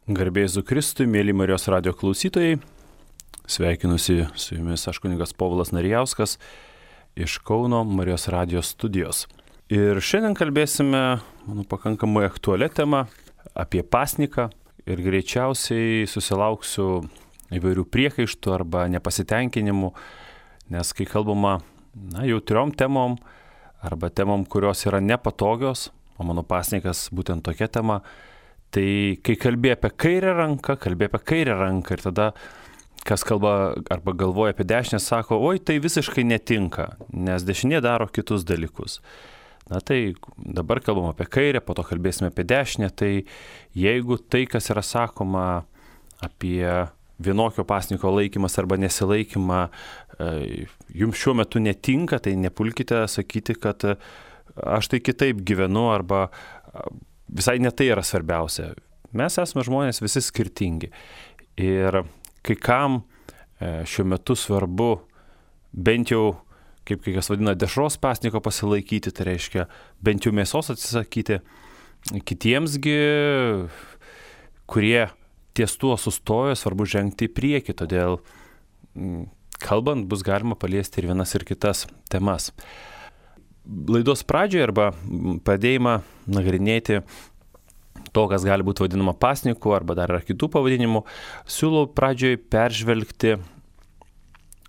Garbė Jėzui Kristui, mėly Marijos radio klausytojai, sveikinusi su jumis aš kunigas Povilas Narijauskas iš Kauno Marijos radio studijos. Ir šiandien kalbėsime, manau, pakankamai aktualią temą apie pasniką ir greičiausiai susilauksiu įvairių priekaištų arba nepasitenkinimų, nes kai kalbama jautriom temom arba temom, kurios yra nepatogios, o mano pasnikas būtent tokia tema, tai kai kalbė apie kairę ranką ir tada kas kalba arba galvoja apie dešinę, sako, oi, tai visiškai netinka, nes dešinė daro kitus dalykus. Tai dabar kalbam apie kairę, po to kalbėsime apie dešinę, tai jeigu tai, kas yra sakoma apie vienokio pasniko laikymas arba nesilaikymą, jums šiuo metu netinka, tai nepulkite sakyti, kad aš tai kitaip gyvenu arba visai ne tai yra svarbiausia. Mes esame žmonės visi skirtingi. Ir kai kam šiuo metu svarbu bent jau, kaip kai kas vadina, dešros pasniko pasilaikyti, tai reiškia bent jau mėsos atsisakyti. Kitiemsgi, kurie ties tuo sustojo, svarbu žengti į priekį. Todėl kalbant bus galima paliesti ir vienas ir kitas temas. Laidos pradžioje arba pradėjimą nagrinėti to, kas gali būti vadinama pasniku arba dar yra kitų pavadinimų, siūlau pradžioje peržvelgti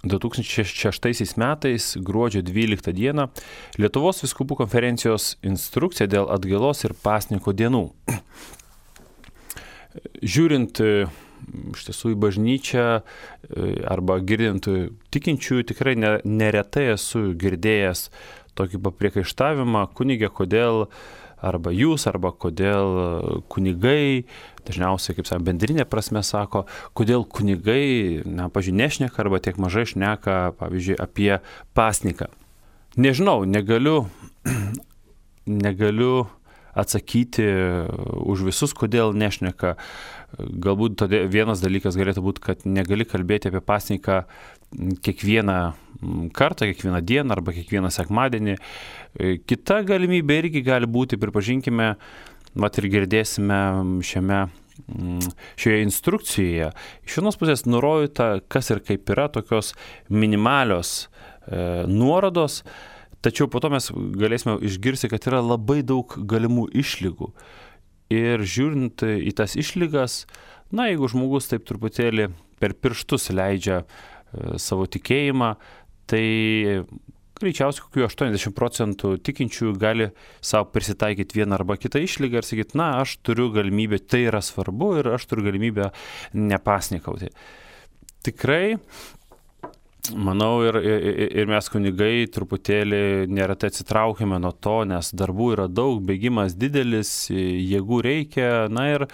2006 metais gruodžio 12 dieną Lietuvos vyskupų konferencijos instrukciją dėl atgailos ir pasniko dienų. Žiūrint iš tiesų į bažnyčią arba girdint tikinčiųjų, tikrai neretai esu girdėjęs tokį papriekaištavimą, kunigė, kodėl arba jūs, arba kodėl kunigai, dažniausiai, kaip sakė, bendrinė prasme sako, kodėl kunigai, pavyzdžiui, nešneka arba tiek mažai šneka, pavyzdžiui, apie pasniką. Nežinau, negaliu atsakyti už visus, kodėl nešneka. Galbūt vienas dalykas galėtų būti, kad negali kalbėti apie pasniką kiekvieną kartą, kiekvieną dieną arba kiekvieną sekmadienį. Kita galimybė irgi gali būti, pripažinkime, ir girdėsime šioje instrukcijoje. Iš vienos pusės nurodyta, kas ir kaip yra, tokios minimalios nuorodos, tačiau po to mes galėsime išgirsti, kad yra labai daug galimų išlygų. Ir žiūrint į tas išlygas, jeigu žmogus taip truputėlį per pirštus leidžia savo tikėjimą, tai greičiausiai kokių 80% tikinčiųjų gali savo prisitaikyti vieną arba kitą išlygą ir sakyti, aš turiu galimybę, tai yra svarbu ir aš turiu galimybę nepasnikauti. Tikrai, manau, ir mes kunigai truputėlį neretai atsitraukime nuo to, nes darbų yra daug, bėgimas didelis, jėgų reikia, ir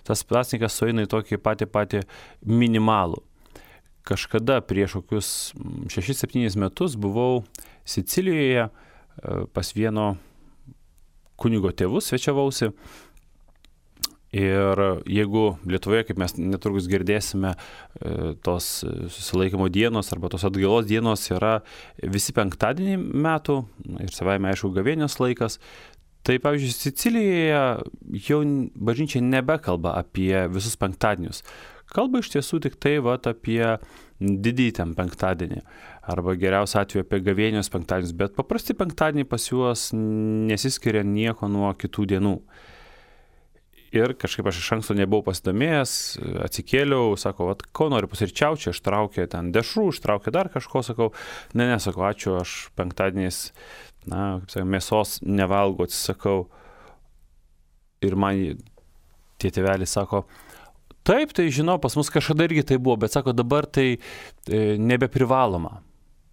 tas pasnikas sueina į tokį patį minimalų. Kažkada prieš kokius 6-7 metus buvau Sicilijoje pas vieno kunigo tėvus svečiavausi. Ir jeigu Lietuvoje, kaip mes netrukus girdėsime, tos susilaikymo dienos arba tos atgailos dienos yra visi penktadienį metų ir savaime aišku gavėnios laikas, tai pavyzdžiui Sicilijoje jau bažnyčia nebekalba apie visus penktadienius. Kalba iš tiesų tik tai apie didįjį ten penktadienį arba geriausiu atveju apie gavėnios penktadienius, bet paprasti penktadieniai pas juos nesiskiria nieko nuo kitų dienų. Ir kažkaip aš iš anksto nebuvau pasidomėjęs, atsikėliau, sako, ko noriu pusryčiauti, čia ištraukė ten dešrų, ištraukė dar kažko, sakau, sakau, ačiū, aš penktadieniais, mėsos nevalgau, atsisakau. Ir man tie tėveliai sako, taip, tai žinau, pas mus kažkada irgi tai buvo, bet sako, dabar tai nebeprivaloma.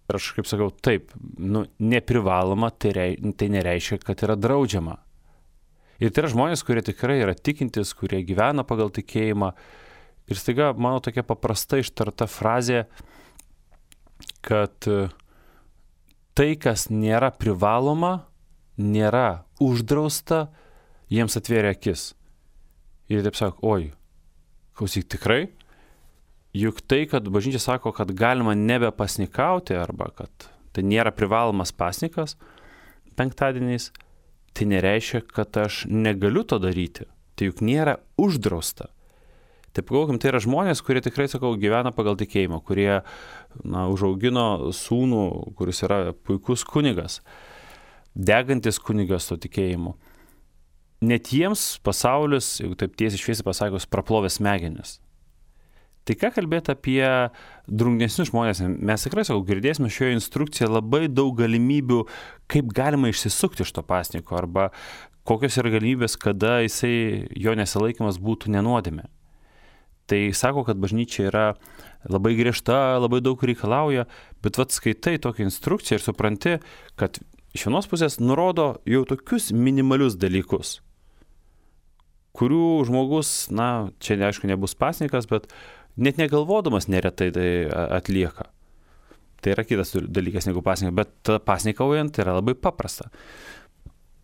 Ir aš kaip sakau, taip, neprivaloma, tai nereiškia, kad yra draudžiama. Ir tai yra žmonės, kurie tikrai yra tikintis, kurie gyvena pagal tikėjimą. Ir staiga, mano tokia paprasta ištarta frazė, kad tai, kas nėra privaloma, nėra uždrausta, jiems atvėrė akis. Ir taip sako, oi, klausyk, tikrai? Juk tai, kad bažnyčia sako, kad galima nebepasnikauti arba kad tai nėra privalomas pasnikas penktadieniais, tai nereiškia, kad aš negaliu to daryti. Tai juk nėra uždrausta. Tai pagalvokim, tai yra žmonės, kurie tikrai, sakau, gyvena pagal tikėjimą, kurie užaugino sūnų, kuris yra puikus kunigas, degantis kunigas to tikėjimu. Net jiems pasaulis, jeigu taip tiesiai šviesiai pasakius, praplovė smegenis. Tai ką kalbėti apie drungnesnius žmonės? Mes tikrai, sakau, girdėsime šioje instrukcijoje labai daug galimybių, kaip galima išsisukti iš to pasniko, arba kokios yra galimybės, kada jo nesilaikymas būtų nenuodėmė. Tai sako, kad bažnyčia yra labai griežta, labai daug reikalauja, bet skaitai tokią instrukciją ir supranti, kad iš vienos pusės nurodo jau tokius minimalius dalykus, kurių žmogus, čia aišku nebus pasnikas, bet net negalvodamas neretai tai atlieka. Tai yra kitas dalykas negu pasnikas, bet pasnikaujant yra labai paprasta.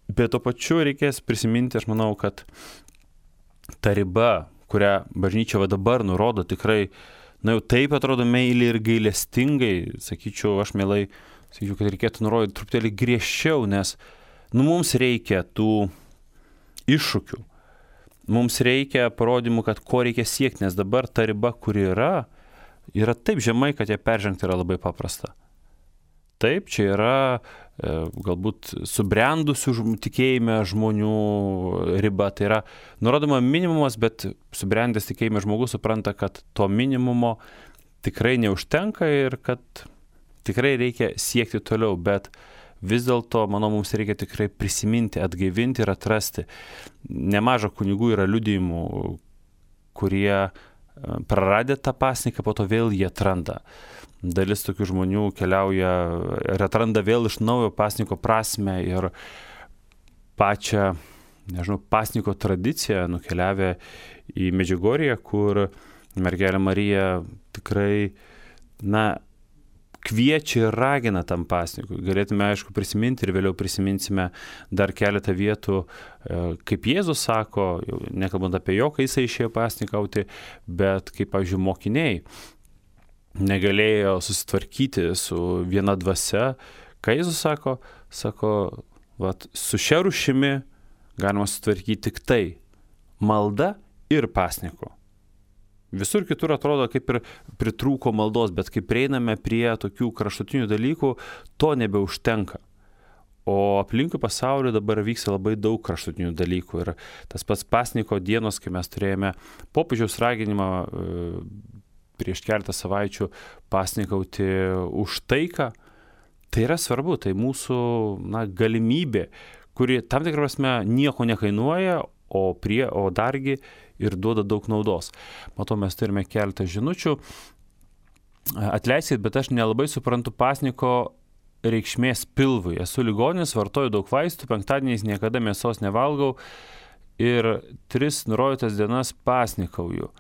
Bet to pačiu reikės prisiminti, aš manau, kad ta riba, kurią bažnyčia dabar nurodo tikrai, jau taip atrodo meiliai ir gailestingai, sakyčiau, aš mielai, kad reikėtų nurodyti truputėlį griežčiau, nes mums reikia tų iššūkių. Mums reikia parodymų, kad ko reikia siekti, nes dabar ta riba, kuri yra taip žemai, kad ją peržengti yra labai paprasta. Taip, čia yra galbūt subrendusių tikėjime žmonių riba, tai yra nurodoma minimumas, bet subrendęs tikėjime žmogus supranta, kad to minimumo tikrai neužtenka ir kad tikrai reikia siekti toliau, bet vis dėlto, manau, mums reikia tikrai prisiminti, atgaivinti ir atrasti. Nemaža kunigų yra liudijimų, kurie praradę tą pasniką, po to vėl jie atranda. Dalis tokių žmonių keliauja ir atranda vėl iš naujo pasniko prasmę ir pačią, pasniko tradiciją, nukeliavę į Medžiugorję, kur mergelė Marija tikrai, kviečia ir ragina tam pasnikui. Galėtume, aišku, prisiminti ir vėliau prisiminsime dar keletą vietų, kaip Jėzus sako, nekalbant apie jo, kai jisai išėjo pasnikauti, bet kaip, pavyzdžiui, mokiniai negalėjo susitvarkyti su viena dvasia. Ką Jėzus sako, su šia rūšimi galima susitvarkyti tik tai malda ir pasniku. Visur kitur atrodo, kaip ir pritrūko maldos, bet kai prieiname prie tokių kraštutinių dalykų, to nebeužtenka. O aplinkui pasaulio dabar vyksta labai daug kraštutinių dalykų. Ir tas pats pasniko dienos, kai mes turėjome popiežiaus raginimą prieš keletą savaičių pasnikauti už taiką, tai yra svarbu, tai mūsų galimybė, kuri tam tikrą prasme nieko nekainuoja, o dargi ir duoda daug naudos. Matau, mes turime keletą žinučių. Atleiskit, bet aš nelabai suprantu pasniko reikšmės pilvui. Esu ligonis, vartoju daug vaistų, penktadieniais niekada mėsos nevalgau ir 3 nurodytas dienas pasnikauju.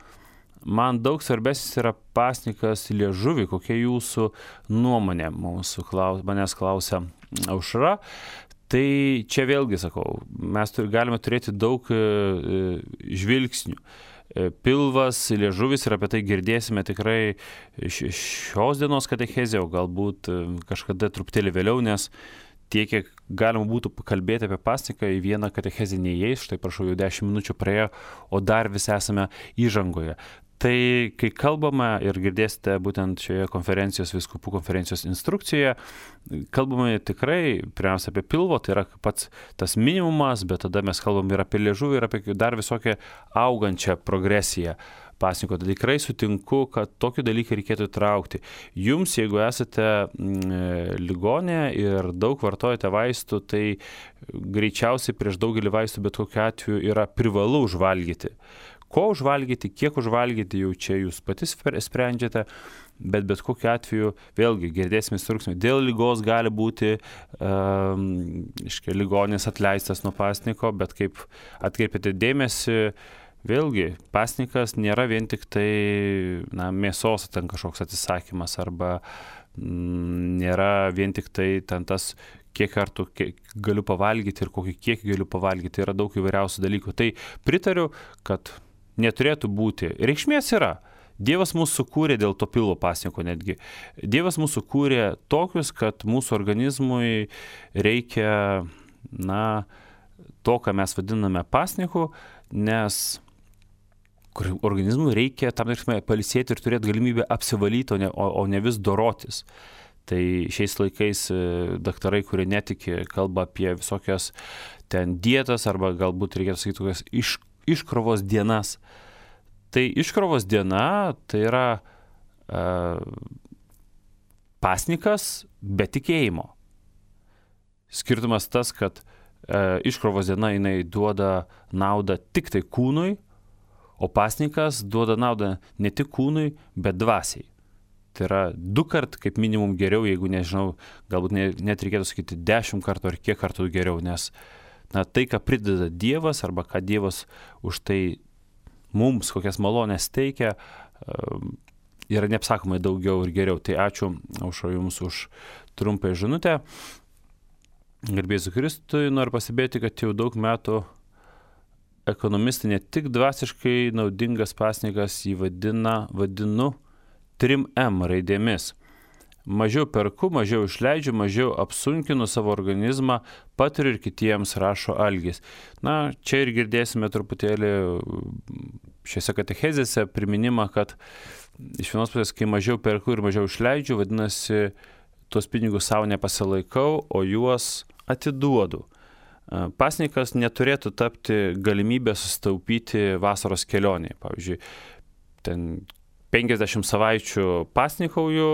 Man daug svarbesnis yra pasnikas liežuvį. Kokia jūsų nuomonė? Manęs klausia Aušra. Tai čia vėlgi sakau, mes galime turėti daug žvilgsnių. Pilvas, liežuvis ir apie tai girdėsime tikrai šios dienos katechezė, o galbūt kažkada truputėlį vėliau, nes tiek, kiek galima būtų pakalbėti apie pasniką, į vieną katechezę neįeis, štai prašau, jau 10 minučių praėjo, o dar vis esame įžangoje. Tai kai kalbame ir girdėsite būtent šioje vyskupų konferencijos instrukcijoje, kalbame tikrai pirmiausia apie pilvo, tai yra pats tas minimumas, bet tada mes kalbam ir apie liežuvį, ir apie dar visokią augančią progresiją pasniko. Tai tikrai sutinku, kad tokį dalyką reikėtų įtraukti. Jums, jeigu esate ligonė ir daug vartojate vaistų, tai greičiausiai prieš daugelį vaistų bet kokiu atveju yra privalu užvalgyti. Ko užvalgyti, kiek užvalgyti, jau čia jūs patys sprendžiate, bet kokiu atveju, vėlgi, girdėsime instrukciją, dėl ligos gali būti ligonis atleistas nuo pasniko, bet kaip atkreipėte dėmesį, vėlgi, pasnikas nėra vien tik tai mėsos ten kažkoks atsisakymas, arba nėra vien tik tai ten tas kiek kartų galiu pavalgyti ir kokį kiekį galiu pavalgyti, yra daug įvairiausių dalykų. Tai pritariu, kad neturėtų būti. Reikšmės yra. Dievas mūsų sukūrė dėl to pilvo pasniko netgi. Dievas mūsų sukūrė tokius, kad mūsų organizmui reikia, to, ką mes vadiname pasniku, nes kur organizmui reikia tam tikrame pailsėti ir turėti galimybę apsivalyti, o ne vis dorotis. Tai šiais laikais daktarai, kurie netiki, kalba apie visokias ten dietas arba galbūt reikėtų sakyti tokias iškrovos dienas. Tai iškrovos diena tai yra pasnikas be tikėjimo. Skirtumas tas, kad iškrovos diena jinai duoda naudą tik tai kūnui, o pasnikas duoda naudą ne tik kūnui, bet dvasiai. Tai yra 2 kart kaip minimum geriau, jeigu nežinau, galbūt net reikėtų sakyti 10 kartų ar kiek kartų geriau, nes tai, ką prideda Dievas arba ką Dievas už tai mums, kokias malonės teikia, yra neapsakomai daugiau ir geriau. Tai ačiū, Aušra, jums už trumpą žinutę. Garbėsiu Kristui, noriu pasibėti, kad jau daug metų ekonomistai ne tik dvasiškai naudingas pasnikas jį vadinu 3M raidėmis. Mažiau perku, mažiau išleidžiu, mažiau apsunkinu savo organizmą, patiriu ir kitiems, rašo Algis. Čia ir girdėsime truputėlį šiose katechezėse priminimą, kad iš vienos pusės, kai mažiau perku ir mažiau išleidžiu, vadinasi, tuos pinigus savo nepasilaikau, o juos atiduodu. Pasnikas neturėtų tapti galimybę susitaupyti vasaros kelionėje. Pavyzdžiui, ten 50 savaičių pasnikauju,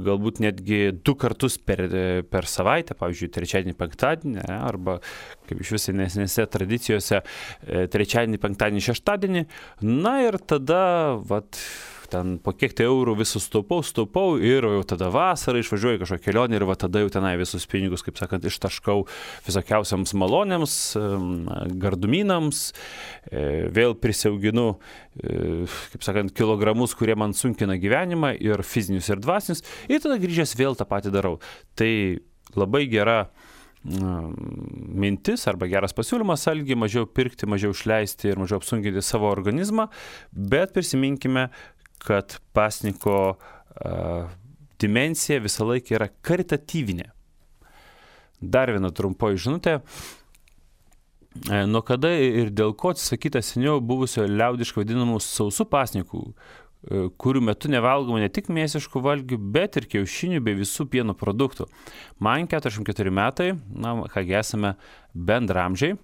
galbūt netgi 2 kartus per savaitę, pavyzdžiui, trečiadienį, penktadienį, arba kaip iš vis senesnėse tradicijose, trečiadienį, penktadienį, šeštadienį. Ir tada, ten po kiek tai eurų visus staupau ir jau tada vasarą išvažiuoju kažkokią kelionę ir tada jau tenai visus pinigus, kaip sakant, ištaškau visokiausiams malonėms, gardumynams, vėl prisiauginu, kaip sakant, kilogramus, kurie man sunkina gyvenimą ir fizinius ir dvasinius, ir tada grįžęs vėl tą patį darau. Tai labai gera mintis arba geras pasiūlymas Algi, mažiau pirkti, mažiau išleisti ir mažiau apsunkinti savo organizmą, bet prisiminkime, kad pasniko dimensija visą laiką yra karitatyvinė. Dar viena trumpoji žinutė. Nuo kada ir dėl ko atsisakyta seniau buvusio liaudiškai vadinamų sausų pasnikų, kurių metu nevalgoma ne tik mėsiškų valgių, bet ir kiaušinių bei visų pieno produktų. Man 44 metai, kągi esame bendramžiai,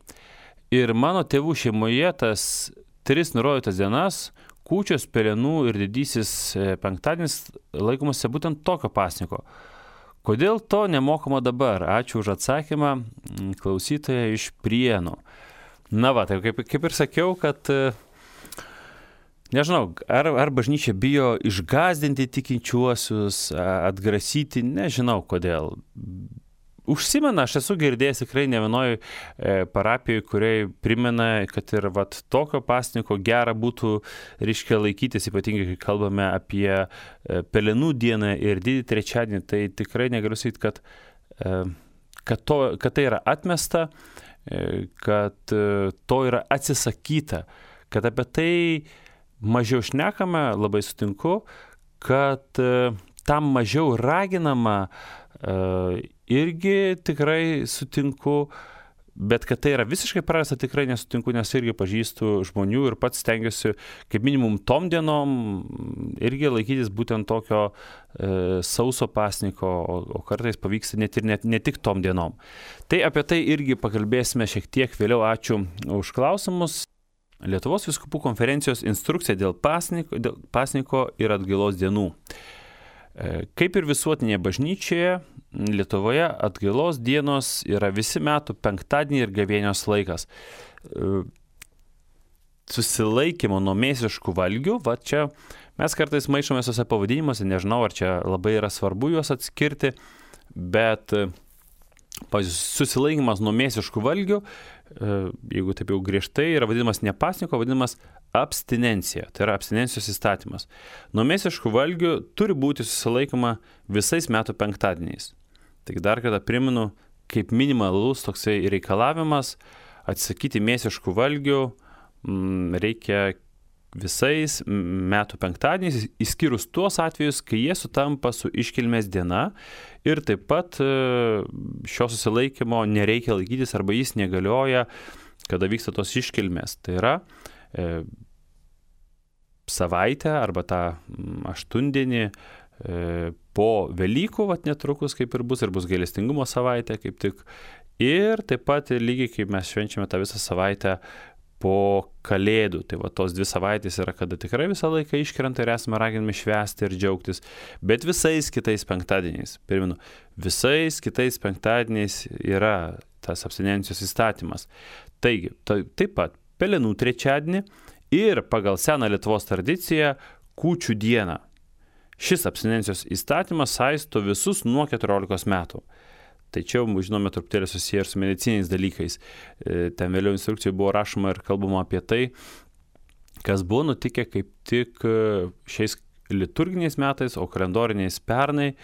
ir mano tėvų šeimoje tas 3 nurodytas dienas, kūčios, pelenų ir didysis penktadienis laikomasi būtent tokio pasniko. Kodėl to nemokama dabar? Ačiū už atsakymą, klausytoja iš Prienų. Tai kaip ir sakiau, kad nežinau, ar bažnyčia bijo išgąsdinti tikinčiuosius, atgrasyti, nežinau kodėl. Užsimena, aš esu girdėjęs tikrai ne vienoj parapijoj, kuriai primena, kad ir tokio pasniko gera būtų, reiškia, laikytis, ypatingai kai kalbame apie pelenų dieną ir didį trečiadienį, tai tikrai negaliu sakyti, kad tai yra atmesta, kad to yra atsisakyta, kad apie tai mažiau šnekame, labai sutinku, kad tam mažiau raginama, irgi tikrai sutinku, bet kad tai yra visiškai prarasta, tikrai nesutinku, nes irgi pažįstu žmonių ir pats stengiuosi kaip minimum tom dienom irgi laikytis būtent tokio sauso pasniko, o kartais pavyksta ne tik tom dienom. Tai apie tai irgi pakalbėsime šiek tiek vėliau. Ačiū už klausimus. Lietuvos vyskupų konferencijos instrukcija dėl pasniko ir atgailos dienų. Kaip ir visuotinėje bažnyčioje, Lietuvoje atgailos dienos yra visi metų penktadienį ir gavėnios laikas. Susilaikymo nuo mėsiškų valgių, čia mes kartais maišome suose pavadinimuose, nežinau, ar čia labai yra svarbu juos atskirti, bet susilaikymas nuo mėsiškų valgių, jeigu taip jau griežtai, yra vadinamas ne pasniko, vadinamas abstinencija, tai yra abstinencijos įstatymas. Nuo mėsiškų valgių turi būti susilaikoma visais metų penktadieniais. Tik dar kartą primenu, kaip minimalus toksai reikalavimas atsisakyti mėsiškų valgių reikia visais metų penktadieniais, išskyrus tuos atvejus, kai jie sutampa su iškilmės diena ir taip pat šio susilaikymo nereikia laikytis arba jis negalioja, kada vyksta tos iškilmės. Tai yra savaitę arba tą aštuondienį po Velykų, netrukus kaip ir bus gailestingumo savaitė kaip tik. Ir taip pat lygiai kaip mes švenčiame tą visą savaitę po Kalėdų. Tai tos 2 savaitės yra, kada tikrai visą laiką iškrenta ir esame raginami švęsti ir džiaugtis. Bet visais kitais penktadieniais, pirminu, visais kitais penktadieniais yra tas abstinencijos įstatymas. Taigi, taip pat Pelenų trečiadienį ir pagal seną Lietuvos tradiciją Kūčių dieną. Šis abstinencijos įstatymas saisto visus nuo 14 metų. Tai čia, žinome, truputėlį susiję ir su mediciniais dalykais. Ten vėliau instrukcijoje buvo rašoma ir kalbama apie tai, kas buvo nutikę kaip tik šiais liturginiais metais, o kalendoriniais pernai,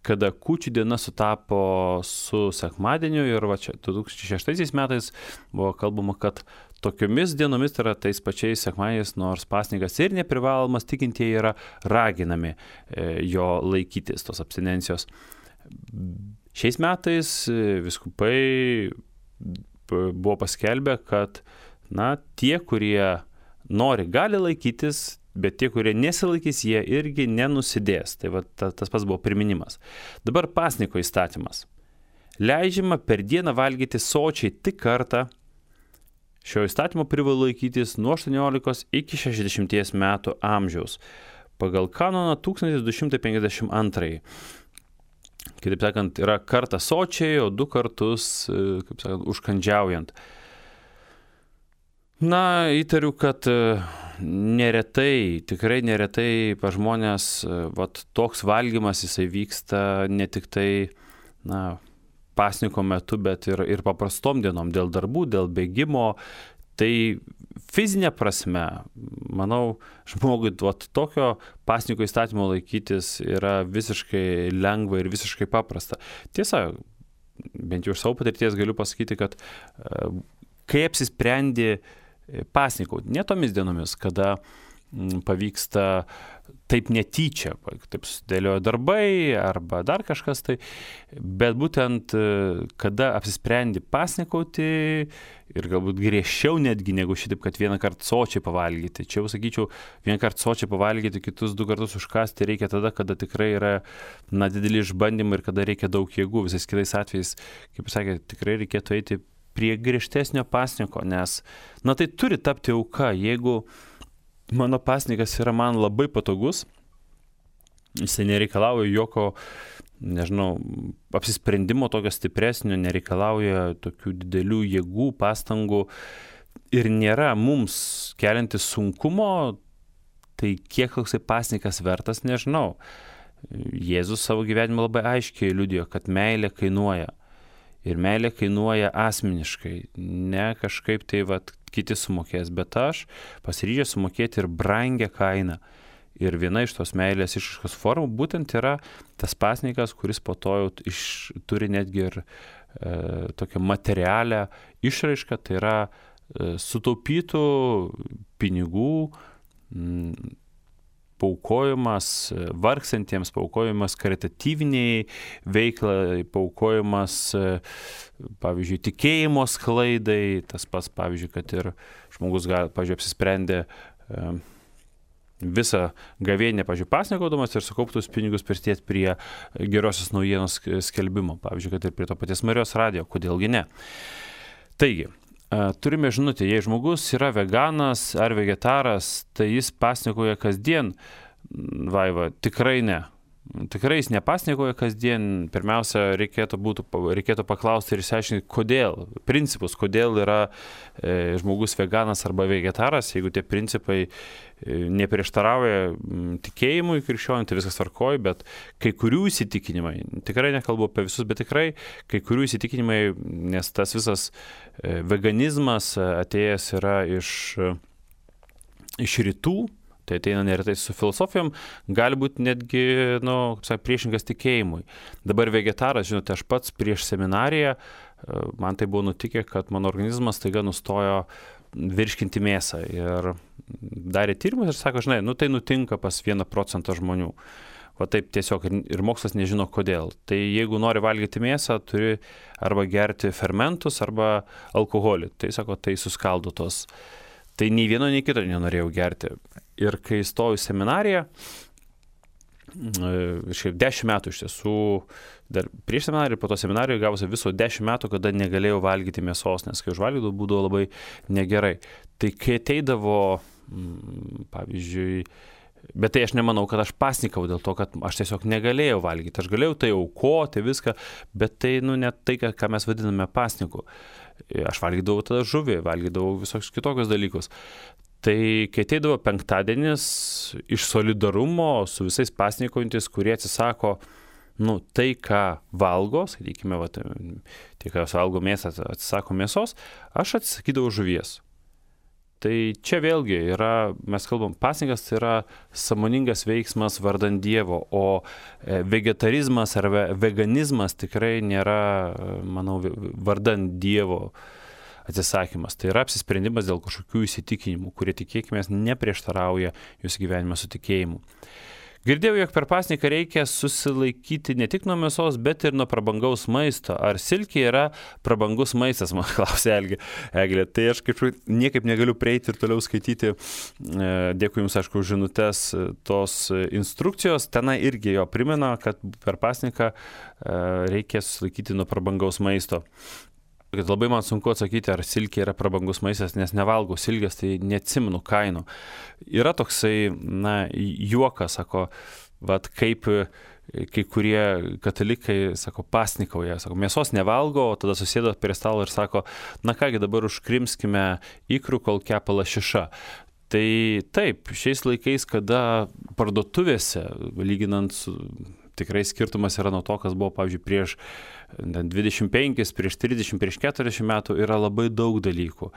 kada Kūčių diena sutapo su sekmadieniu ir čia 2006 metais buvo kalbama, kad tokiomis dienomis, tai yra tais pačiais sekmadieniais, nors pasninkas ir neprivalomas, tikintieji yra raginami jo laikytis, tos abstinencijos. Šiais metais vyskupai buvo paskelbę, kad tie, kurie nori, gali laikytis, bet tie, kurie nesilaikys, jie irgi nenusidės. Tai tas pats buvo priminimas. Dabar pasniko įstatymas. Leidžiama per dieną valgyti sočiai tik kartą. Šio įstatymo privalo laikytis nuo 18 iki 60 metų amžiaus. Pagal kanoną 1252. Kitaip sakant, yra kartą sočiai, o 2 kartus, kaip sakant, užkandžiaujant. Įtariu, kad tikrai neretai pas žmonės toks valgymas jisai vyksta ne tik tai, pasniko metu, bet ir paprastom dienom, dėl darbų, dėl bėgimo. Tai fizinė prasme, manau, žmogui tokio pasniko įstatymo laikytis yra visiškai lengva ir visiškai paprasta. Tiesa, bent jau iš savo patirties galiu pasakyti, kad kai apsisprendi pasnikauti, ne tomis dienomis, kada pavyksta taip netyčia, taip sudėliojo darbai arba dar kažkas tai, bet būtent kada apsisprendi pasnikauti ir galbūt griežčiau netgi negu šitaip, kad vieną kartą sočiai pavalgyti. Čia jau sakyčiau, vieną kartą sočiai pavalgyti, kitus 2 kartus užkasti reikia tada, kada tikrai yra dideli išbandymai ir kada reikia daug jėgų. Visais kitais atvejais, kaip sakė, tikrai reikėtų eiti prie griežtesnio pasniko, nes tai turi tapti auka. Jeigu mano pasnikas yra man labai patogus, jisai nereikalauja jokio, apsisprendimo tokio stipresnio, nereikalauja tokių didelių jėgų, pastangų ir nėra mums keliantis sunkumo, tai kiek toksai pasnikas vertas, nežinau. Jėzus savo gyvenimą labai aiškiai liudijo, kad meilė kainuoja. Ir meilė kainuoja asmeniškai, ne kažkaip tai kiti sumokės, bet aš pasiryžęs sumokėti ir brangią kainą. Ir viena iš tos meilės išraiškos formų būtent yra tas pasnikas, kuris po to jau turi netgi ir tokią materialią išraišką, tai yra sutaupytų pinigų, paaukojimas vargsantiems, paaukojimas karitatyviniai veiklai, paaukojimas, pavyzdžiui, tikėjimo sklaidai, tas pats, pavyzdžiui, kad ir žmogus, pavyzdžiui, apsisprendė visą gavėnią, pavyzdžiui, pasnikaudamas ir sukauptus pinigus prisidėti prie gerosios naujienos skelbimo, pavyzdžiui, kad ir prie to paties Marijos radijo, kodėlgi ne. Taigi, turime žinutę, jei žmogus yra veganas ar vegetaras, tai jis pasnikoja kasdien. Vaiva, tikrai ne. Tikrai jis nepasnikoja kasdien. Pirmiausia, reikėtų paklausti ir išsiaiškinti, kodėl. Principus, kodėl yra žmogus veganas arba vegetaras. Jeigu tie principai neprieštarauja tikėjimui krikščioniui, tai viskas tvarkoj, bet kai kurių įsitikinimai, tikrai nekalbu apie visus, bet tikrai kai kurių įsitikinimai, nes tas visas veganizmas atėjęs yra iš rytų, tai ateina neretai su filosofijom, gali būti netgi, priešingas tikėjimui. Dabar vegetaras, žinote, aš pats prieš seminariją, man tai buvo nutikę, kad mano organizmas staiga nustojo virškinti mėsą ir darė tyrimus ir sako, tai nutinka pas 1% žmonių. Taip tiesiog ir mokslas nežino kodėl. Tai jeigu nori valgyti mėsą, turi arba gerti fermentus, arba alkoholį. Tai sako, tai suskaldo tos. Tai nei vieno, nei kito nenorėjau gerti. Ir kai įstojau į seminariją, 10 metų iš tiesų, dar prieš seminariją, po to seminariją gavosi viso 10 metų, kada negalėjau valgyti mėsos, nes kai užvalgydavau, būdavo labai negerai. Tai kai ateidavo, pavyzdžiui, bet tai aš nemanau, kad aš pasnikau dėl to, kad aš tiesiog negalėjau valgyti. Aš galėjau tai aukoti viską, bet tai ne tai, ką mes vadiname pasniku. Aš valgydavau tada žuvį, valgydavau visokius kitokius dalykus. Tai kai ateidavo penktadienis iš solidarumo su visais pasnikaujantis, kurie atsisako, tai, ką valgo, sakykime, tie, kas valgo mėsą, atsisako mėsos, aš atsisakydavau žuvies. Tai čia vėlgi mes kalbam, pasninkas tai yra sąmoningas veiksmas vardan Dievo, o vegetarizmas ar veganizmas tikrai nėra, manau, vardan Dievo atsisakymas. Tai yra apsisprendimas dėl kažkokių įsitikinimų, kurie tikėkime neprieštarauja jūsų gyvenime su tikėjimu. Girdėjau, jog per pasninką reikia susilaikyti ne tik nuo mėsos, bet ir nuo prabangaus maisto. Ar silkė yra prabangus maistas, man klausė Eglė. Tai aš niekaip negaliu prieiti ir toliau skaityti. Dėkui Jums, aišku, už žinutes tos instrukcijos. Tenai irgi jo primena, kad per pasninką reikia susilaikyti nuo prabangaus maisto. Kad labai man sunku atsakyti, ar silkė yra prabangus maistas, nes nevalgau silkės, tai neatsimenu kainų. Yra toksai, juokas, sako, kaip kai kurie katalikai, sako, pasnikauja, sako, mėsos nevalgo, o tada susėda prie stalo ir sako, kągi dabar užkrimskime ikrų, kol kepa lašiša. Tai taip, šiais laikais, kada parduotuvėse, lyginant su tikrai skirtumas yra nuo to, kas buvo, pavyzdžiui, prieš 25, prieš 30, prieš 40 metų, yra labai daug dalykų.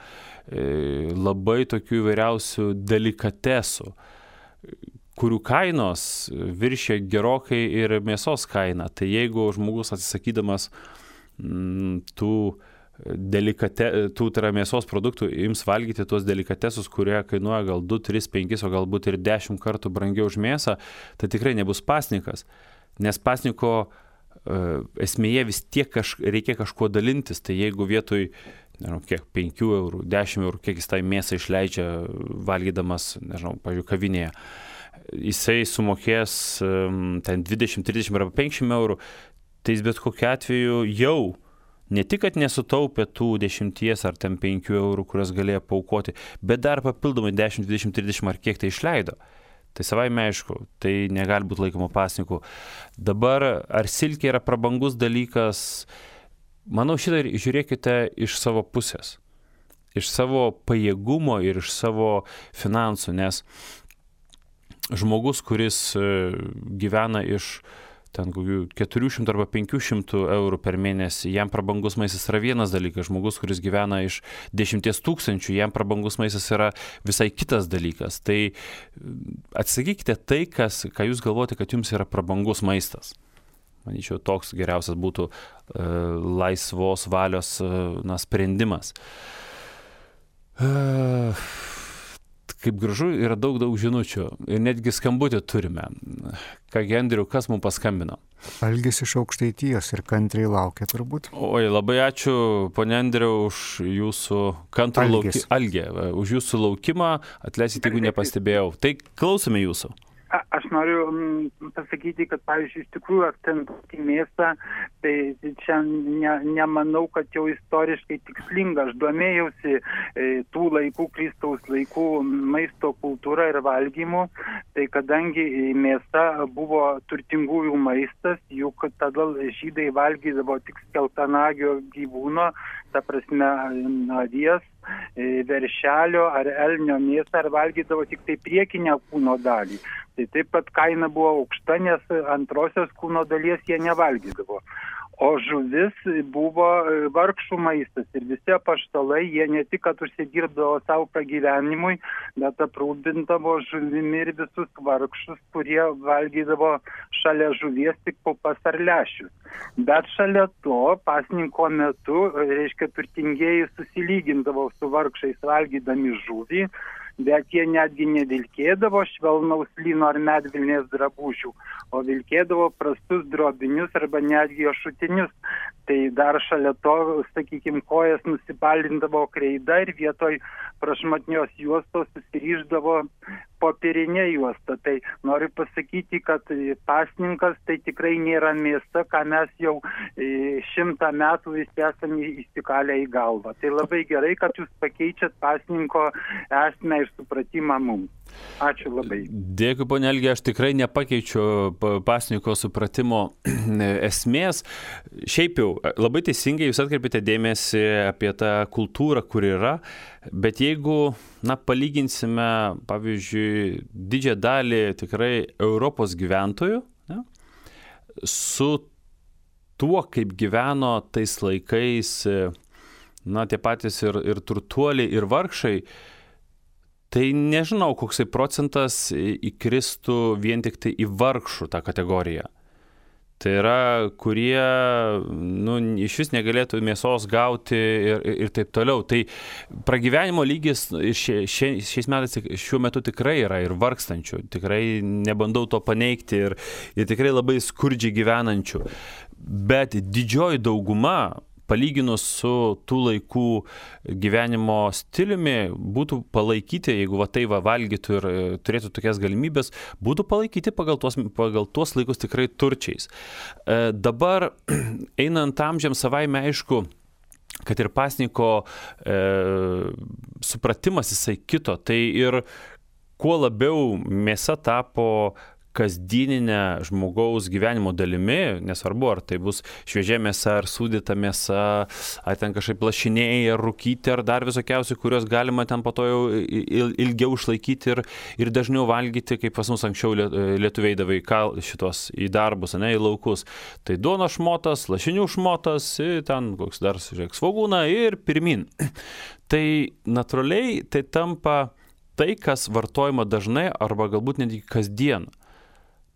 Labai tokių įvairiausių delikatesų, kurių kainos viršė gerokai ir mėsos kainą. Tai jeigu žmogus atsisakydamas tų mėsos produktų ims valgyti tuos delikatesus, kurie kainuoja gal 2, 3, 5, o galbūt ir 10 kartų brangiau už mėsą, tai tikrai nebus pasninkas. Nes pasniko esmėje vis tiek reikia kažkuo dalintis. Tai jeigu vietoj, 5 eurų, 10 eurų, kiek jis tai mėsą išleidžia valgydamas, pavyzdžiui, kavinėje, jisai sumokės ten 20, 30 arba 50 eurų, tai jis bet kokiu atveju jau ne tik, kad nesutaupė tų 10 ar ten 5 eurų, kurias galėjo paaukoti, bet dar papildomai 10, 20, 30 ar kiek tai išleido. Tai savaime aišku, tai negali būti laikoma pasniku. Dabar, ar silkė yra prabangus dalykas? Manau, šitą žiūrėkite iš savo pusės. Iš savo pajėgumo ir iš savo finansų, nes žmogus, kuris gyvena iš ten kokių 400 arba 500 eurų per mėnesį, jam prabangus maistas yra vienas dalykas. Žmogus, kuris gyvena iš 10 000, jam prabangus maistas yra visai kitas dalykas. Tai atsakykite tai, ką jūs galvojate, kad jums yra prabangus maistas. Manyčiau, toks geriausias būtų laisvos valios sprendimas. Kaip gražu, yra daug žinučių ir netgi skambutį turime. Kągi, Andriau, kas mums paskambino? Algis iš Aukštaitijos ir kantriai laukia turbūt. Oi, labai ačiū, ponia Andriau, už jūsų kantrų už jūsų laukimą. Atleiskite, jeigu nepastebėjau. Tai klausome jūsų. Aš noriu pasakyti, kad, pavyzdžiui, iš tikrųjų akcentuoti mėsą, tai čia nemanau, kad jau istoriškai tikslinga. Aš domėjausi tų laikų, Kristaus laikų maisto kultūra ir valgymu, tai kadangi mėsa buvo turtingųjų maistas, juk tada žydai valgydavo tik skeltanagio gyvūno, ta prasme avies, veršelio ar elnio mėsą, ar valgydavo tik tai priekinę kūno dalį. Tai taip pat kaina buvo aukšta, nes antrosios kūno dalies jie nevalgydavo. O žuvis buvo vargšų maistas ir visi apaštalai, jie ne tik, kad užsidirbdavo savo pragyvenimui, bet aprūpindavo žuvimi ir visus vargšus, kurie valgydavo šalia žuvies tik pupas ar lęšius. Bet šalia to pasninko metu, reiškia, turtingieji susilygindavo su vargšais valgydami žuvį, bet jie netgi nevilkėdavo švelnaus lino ar medvilnės drabužių, o vilkėdavo prastus drobinius arba netgi ašutinius. Tai dar šalia to, sakykime, kojas nusibalindavo kreida ir vietoj prašmatnios juostos susiryždavo popierinė juosta. Tai noriu pasakyti, kad pasninkas tai tikrai nėra mėsa, ką mes jau 100 metų visi esame įsikalę į galvą. Tai labai gerai, kad jūs pakeičiat pasninko esmę ir supratimą mums. Ačiū labai. Dėkui, ponia Algė, aš tikrai nepakeičiu pasninko supratimo esmės. Šiaip jau, labai teisingai jūs atkreipėte dėmesį apie tą kultūrą, kur yra, bet jeigu, palyginsime, pavyzdžiui, didžiąją dalį tikrai Europos gyventojų, su tuo, kaip gyveno tais laikais, tie patys ir turtuoliai, ir vargšai, tai nežinau, koksai procentas įkristų vien tik tai į vargšų tą kategoriją. Tai yra, kurie iš vis negalėtų mėsos gauti ir taip toliau. Tai pragyvenimo lygis šiais metais šiuo metu tikrai yra ir vargstančių. Tikrai nebandau to paneigti ir tikrai labai skurdžiai gyvenančių. Bet didžioji dauguma, palyginus su tų laikų gyvenimo stiliumi, būtų palaikyti, jeigu valgytų ir turėtų tokias galimybės, būtų palaikyti pagal tuos laikus tikrai turčiais. Dabar, einant amžiams, savaime aišku, kad ir pasninko supratimas jisai kito. Tai ir kuo labiau mėsa tapo kasdieninė žmogaus gyvenimo dalimi, nesvarbu, ar tai bus šviežia mėsa, ar sūdyta mėsa, ar ten kažkaip lašiniai, ar rūkyti, ar dar visokiausių, kurios galima ten po to jau ilgiau išlaikyti ir dažniau valgyti, kaip pas mus anksčiau lietuviai davai šitos į darbus, į laukus. Tai duona šmotas, lašinių šmotas, ten koks dar svogūna ir pirmin. Tai natūraliai tai tampa tai, kas vartojama dažnai arba galbūt netgi kasdien.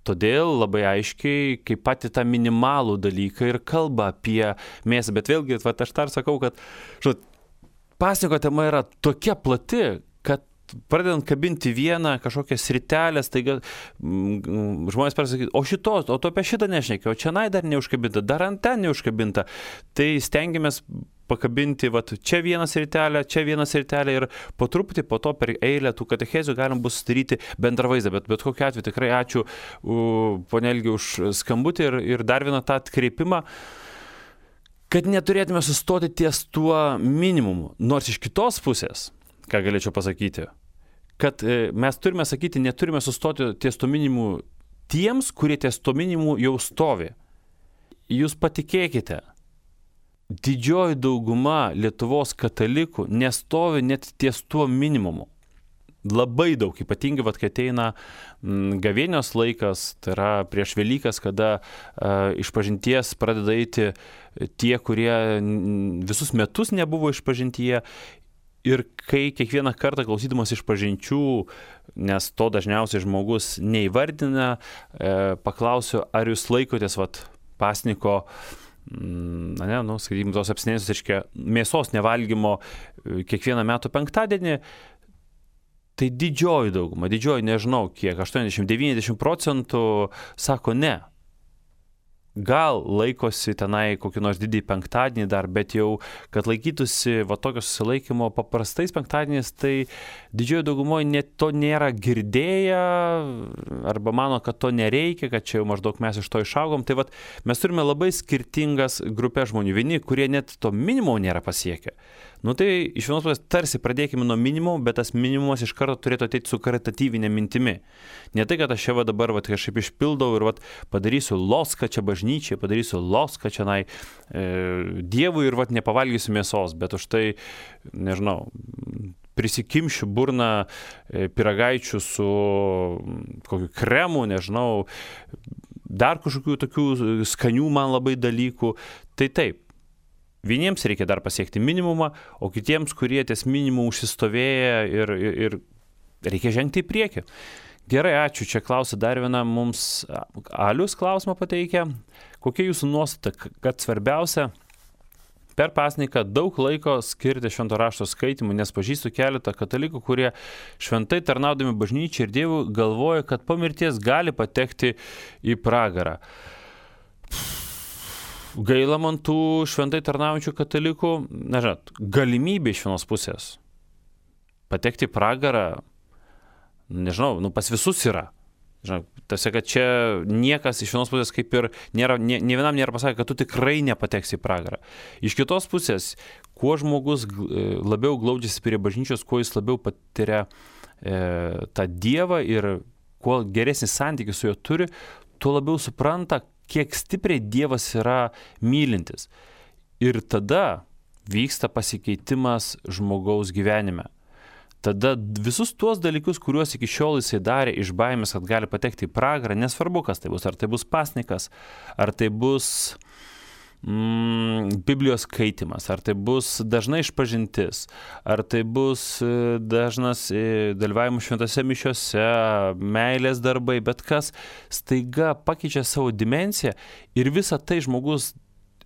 Todėl labai aiškiai, kaip pati tą minimalų dalyką ir kalba apie mėsą. Bet vėlgi, aš dar sakau, kad pasninko tema yra tokia plati, kad pradedant kabinti vieną kažkokią sritelę, staiga žmonės pasakyti, o tu apie šitą nešnekė, o čia dar neužkabinta, dar ant ten neužkabinta. Tai stengiamės pakabinti čia vieną sritelę ir po truputį po to per eilę tų katechezių galim bus sudaryti bendrą vaizdą. Bet kokiu atveju tikrai ačiū ponia Algė už skambutį ir dar vieną tą atkreipimą, kad neturėtume sustoti ties tuo minimumu. Nors iš kitos pusės, ką galėčiau pasakyti, kad mes turime sakyti, neturime sustoti ties to minimumu tiems, kurie ties to minimumu jau stovi. Jūs patikėkite, didžioji dauguma Lietuvos katalikų nestovi net ties tuo minimumu. Labai daug, ypatingai, kai ateina gavėnios laikas, tai yra prieš Velykas, kada išpažinties pradeda eiti tie, kurie visus metus nebuvo išpažintyje. Ir kai kiekvieną kartą klausydamas išpažinčių, nes to dažniausiai žmogus neįvardina, paklausiu, ar jūs laikotės pasninko, skaitykim, tos abstinencijos, reiškia, mėsos nevalgymo kiekvieną metų penktadienį, tai didžioji dauguma, nežinau kiek, 80-90% sako ne. Gal laikosi tenai kokį nors didį penktadienį dar, bet jau, kad laikytųsi tokio susilaikymo paprastais penktadieniais, tai didžioji daugumoje to nėra girdėję, arba mano, kad to nereikia, kad čia jau maždaug mes iš to išaugom. Tai mes turime labai skirtingas grupės žmonių. Vieni, kurie net to minimumo nėra pasiekę. Tai iš vienos pusės tarsi pradėkime nuo minimumo, bet tas minimumas iš karto turėtų ateiti su karitatyvinė mintimi. Ne tai, kad aš čia dabar kažkaip išpildau ir padarysiu loską čia bažnyčiai, padarysiu loską čia Dievui ir nepavalgysiu mėsos, bet už tai, nežinau, prisikimšiu burną pyragaičių su kokiu kremu, nežinau, dar kažkokių tokių skanių man labai dalykų. Tai taip. Vieniems reikia dar pasiekti minimumą, o kitiems, kurie ties minimumu užsistovėję ir reikia žengti į priekį. Gerai, ačiū. Čia klausia dar viena mums Alius klausimą pateikia. Kokia jūsų nuostata, kad svarbiausia per pasninką daug laiko skirti švento rašto skaitymui, nes pažįstu keletą katalikų, kurie šventai tarnaudami bažnyčiai ir Dievui galvoja, kad po mirties gali patekti į pragarą. Gaila man tų šventai tarnaujančių katalikų, galimybė iš vienos pusės patekti į pragarą, Nežinau, pas visus yra. Žinau, tiesiog, kad čia niekas iš vienos pusės kaip ir nėra, ne vienam nėra pasakę, kad tu tikrai nepateksi į pragarą. Iš kitos pusės, kuo žmogus labiau glaudžiasi prie bažnyčios, kuo jis labiau patiria tą Dievą ir kuo geresnį santykį su juo turi, tuo labiau supranta, kiek stipriai Dievas yra mylintis. Ir tada vyksta pasikeitimas žmogaus gyvenime. Tada visus tuos dalykus, kuriuos iki šiol jisai darė iš baimės, kad gali patekti į pragarą, nesvarbu, kas tai bus, ar tai bus pasnikas, ar tai bus Biblijos skaitimas, ar tai bus dažna išpažintis, ar tai bus dažnas dalyvavimas šventose mišiose, meilės darbai, bet kas staiga pakeičia savo dimensiją ir visą tai žmogus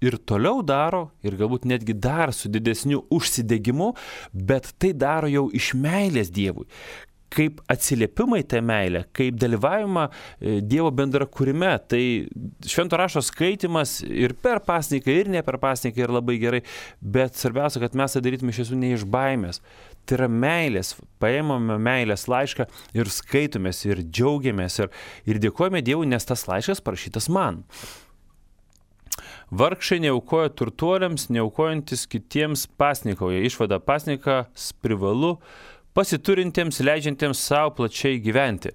ir toliau daro, ir galbūt netgi dar su didesniu užsidegimu, bet tai daro jau iš meilės Dievui. Kaip atsiliepimai tą meilę, kaip dalyvavimą Dievo bendrakūrime, tai švento rašto skaitimas ir per pasniką, ir ne per pasniką yra labai gerai, bet svarbiausia, kad mes tai darytume iš tiesų ne iš baimės. Tai yra meilės, paėmame meilės laišką ir skaitomės, ir džiaugiamės, ir dėkojame Dievui, nes tas laiškas parašytas man. Vargšai neaukoja turtuoliams, neaukojantis kitiems pasnikauja. Išvada pasnikas privalu pasiturintiems, leidžiantiems savo plačiai gyventi.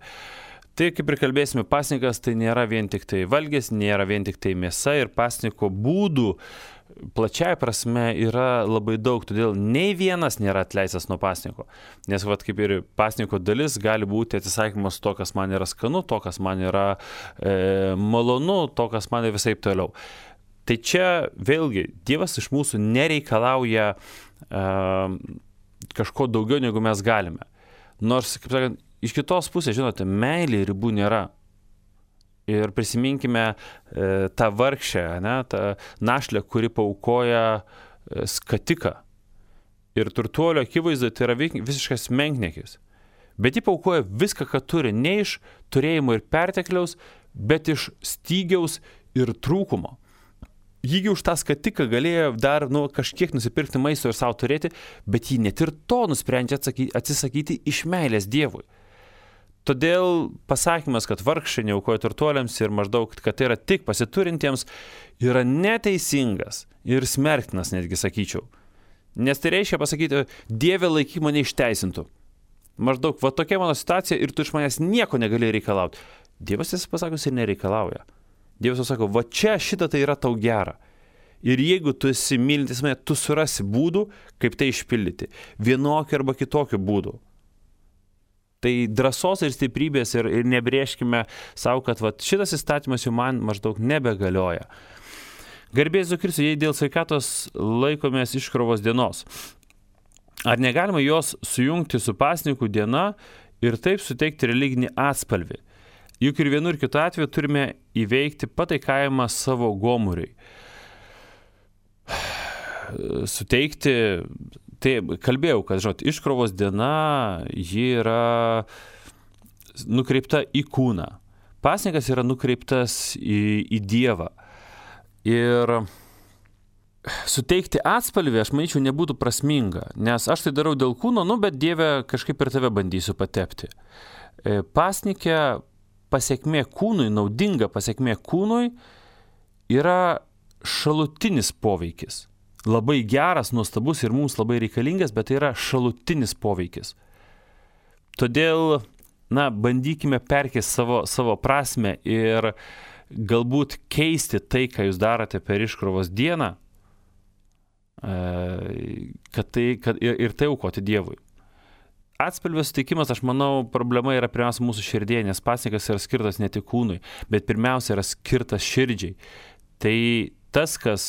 Tai kaip ir kalbėsime, pasnikas tai nėra vien tik tai valgis, nėra vien tik tai mėsa ir pasniko būdų plačiai prasme yra labai daug, todėl nei vienas nėra atleistas nuo pasniko. Nes kaip ir pasniko dalis gali būti atsisakymas to, kas man yra skanu, to, kas man yra malonu, to, kas man yra visai toliau. Tai čia vėlgi Dievas iš mūsų nereikalauja kažko daugiau, negu mes galime. Nors, kaip sakant, iš kitos pusės, žinote, meilė ribų nėra. Ir prisiminkime tą vargšę, tą našlę, kuri paaukoja skatiką. Ir turtuolio akivaizdoje tai yra visiškas menkniekis. Bet ji paaukoja viską, ką turi, ne iš turėjimo ir pertekliaus, bet iš stygiaus ir trūkumo. Jį už tą skatiką galėjo dar kažkiek nusipirkti maisto ir savo turėti, bet jį net ir to nusprendžia atsisakyti iš meilės Dievui. Todėl pasakymas, kad vargšai neaukoja turtuoliams ir maždaug, kad tai yra tik pasiturintiems, yra neteisingas ir smerktinas, netgi sakyčiau. Nes tai reiškia pasakyti, Dieve laikyk mane išteisintų. Maždaug, tokia mano situacija ir tu iš manęs nieko negali reikalauti. Dievas tiesą pasakius ir nereikalauja. Dievas sako, čia šitą tai yra tau gera. Ir jeigu tu esi mylintis mane, tu surasi būdų, kaip tai išpildyti. Vienokių arba kitokių būdų. Tai drąsos ir stiprybės ir nebrėžkime savo, kad šitas įstatymas jau man maždaug nebegalioja. Garbė Jėzui Kristui, jei dėl sveikatos laikomės iškrovos dienos. Ar negalima jos sujungti su pasninkų diena ir taip suteikti religinį atspalvį? Juk ir vienu ir kitu atveju turime įveikti pataikavimą savo gomuriui. Suteikti, tai kalbėjau, kad, iškrovos diena, ji yra nukreipta į kūną. Pasninkas yra nukreiptas į Dievą. Ir suteikti atspalvį, aš manyčiau, nebūtų prasminga, nes aš tai darau dėl kūno, bet Dieve kažkaip per tave bandysiu patepti. Pasnike pasiekmė kūnui, naudinga pasiekmė kūnui yra šalutinis poveikis. Labai geras, nuostabus ir mums labai reikalingas, bet tai yra šalutinis poveikis. Todėl, bandykime perkeisti savo prasmę ir galbūt keisti tai, ką jūs darote per iškrovos dieną, ir tai aukoti Dievui. Atspalvio suteikimas, aš manau, problema yra pirmiausia mūsų širdėje, nes pasnikas yra skirtas ne tik kūnui, bet pirmiausia yra skirtas širdžiai. Tai tas, kas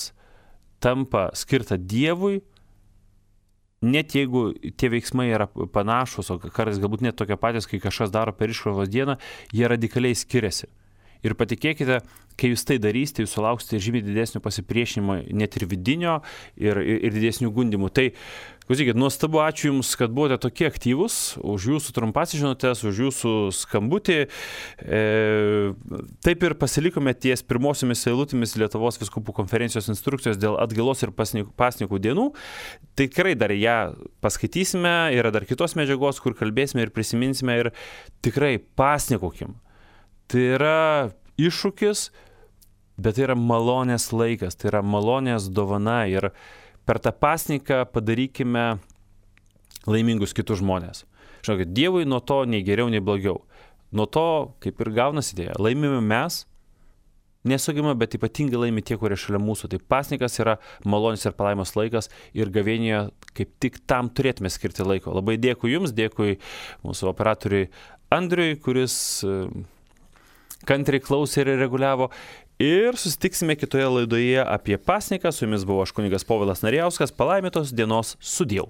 tampa skirta Dievui, net jeigu tie veiksmai yra panašus, o kartais galbūt net tokie patys, kai kažkas daro per iškrovos dieną, jie radikaliai skiriasi. Ir patikėkite, kai jūs tai darysite, jūs sulauksite žymiai didesnio pasipriešinimo, net ir vidinio, ir didesnių gundimų. Tai, klausykit, nuostabu, ačiū Jums, kad buvote tokie aktyvūs, už Jūsų trumpas žinutės, už Jūsų skambutį. Taip ir pasilikome ties pirmosiomis eilutėmis Lietuvos vyskupų konferencijos instrukcijos dėl atgailos ir pasnikų dienų. Tikrai dar ją paskaitysime, yra dar kitos medžiagos, kur kalbėsime ir prisiminsime ir tikrai pasnikuokim. Tai yra iššūkis, bet tai yra malonės laikas, tai yra malonės dovana ir per tą pasniką padarykime laimingus kitus žmonės. Žinokit, Dievui nuo to nei geriau, nei blogiau. Nuo to, kaip ir gaunasi idėja, laimime mes, nesugima, bet ypatingai laimi tie, kurie šalia mūsų. Tai pasnikas yra malonės ir palaimos laikas ir gavėnėje kaip tik tam turėtume skirti laiko. Labai dėkui Jums, dėkui mūsų operatoriui Andriui, kuris kantriai klausė ir reguliavo. Ir susitiksime kitoje laidoje apie pasniką. Su Jumis buvo aš kunigas Povilas Narijauskas. Palaimintos dienos, sudieu.